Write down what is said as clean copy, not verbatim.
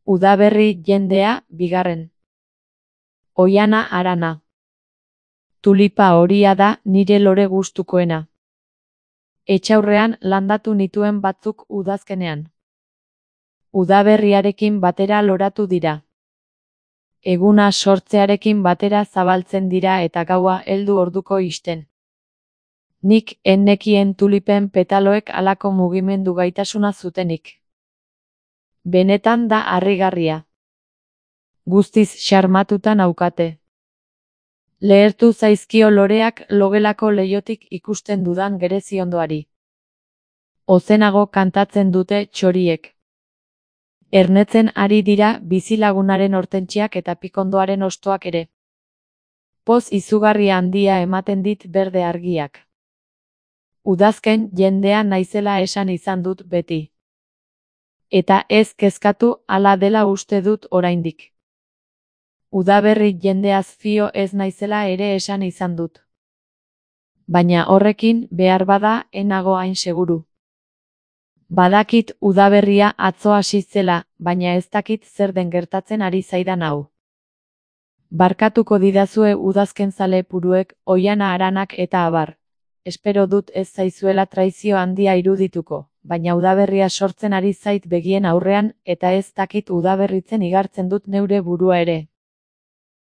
Udaberri jendea, bigarren. Oihana Arana. Tulipa horia da nire lore gustukoena. Etxaurrean landatu nituen batzuk udazkenean. Udaberriarekin batera loratu dira. Eguna sortzearekin batera zabaltzen dira eta gaua heldu orduko ixten. Nik ennekien tulipen petaloek halako mugimendu gaitasuna zutenik. Benetan da harrigarria. Guztiz xarmatuta naukate. Lehertu zaizkio loreak logelako leihotik ikusten dudan gereziondoari. Ozenago kantatzen dute txoriek. Ernetzen ari dira bizilagunaren hortentziak eta pikondoaren hostoak ere. Poz izugarri handia ematen dit berde argiak. Udazken jendea naizela esan izan dut beti. Eta ez kezkatu hala dela uste dut oraindik. Udaberri jendeaz fio ez naizela ere esan izan dut. Baina horrekin behar bada enago hain seguru. Badakit udaberria atzo hasi zela, baina ez dakit zer den gertatzen ari zaidan hau. Barkatuko didazue udazkenzale puruek, Oihana Aranak eta abar. Espero dut ez zaizuela traizio handia irudituko, baina udaberria sortzen ari zait begien aurrean eta ez dakit udaberritzen igartzen dut neure burua ere.